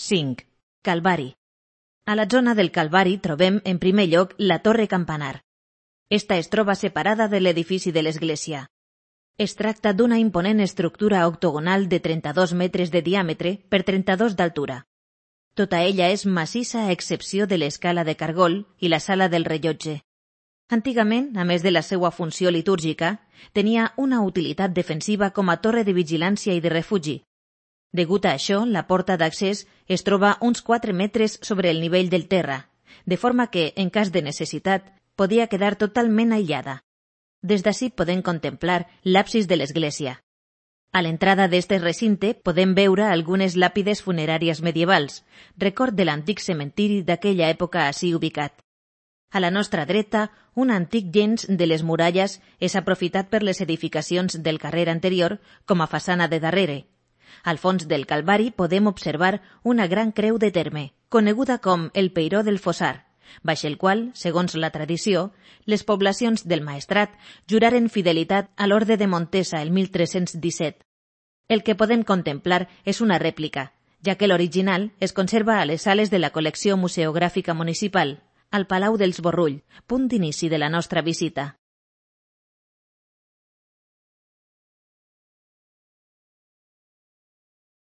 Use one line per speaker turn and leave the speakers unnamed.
5. Calvari. A la zona del Calvari trobem, en primer lloc, la Torre Campanar. Esta es troba separada de l'edifici de l'església. Es tracta d'una imponent estructura octogonal de 32 metres de diàmetre per 32 d'altura. Tota ella és massissa a excepció de l'escala de cargol i la sala del rellotge. Antigament, a més de la seva funció litúrgica, tenia una utilitat defensiva com a torre de vigilància i de refugi. Degut a això, la porta d'accés es troba uns 4 metres sobre el nivell del terra, de forma que, en cas de necessitat, podia quedar totalment aïllada. Des d'ací podem contemplar l'absis de l'església. A l'entrada d'este recinte podem veure algunes làpides funeràries medievals, record de l'antic cementiri d'aquella època ací ubicat. A la nostra dreta, un antic llenç de les muralles és aprofitat per les edificacions del carrer anterior com a façana de darrere. Al fons del Calvari podem observar una gran creu de terme, coneguda com el Peiró del Fossar, baix el qual, segons la tradició, les poblacions del Maestrat juraren fidelitat a l'Orde de Montesa el 1317. El que podem contemplar és una rèplica, ja que l'original es conserva a les sales de la col·lecció museogràfica municipal, al Palau dels Borrull, punt d'inici de la nostra visita.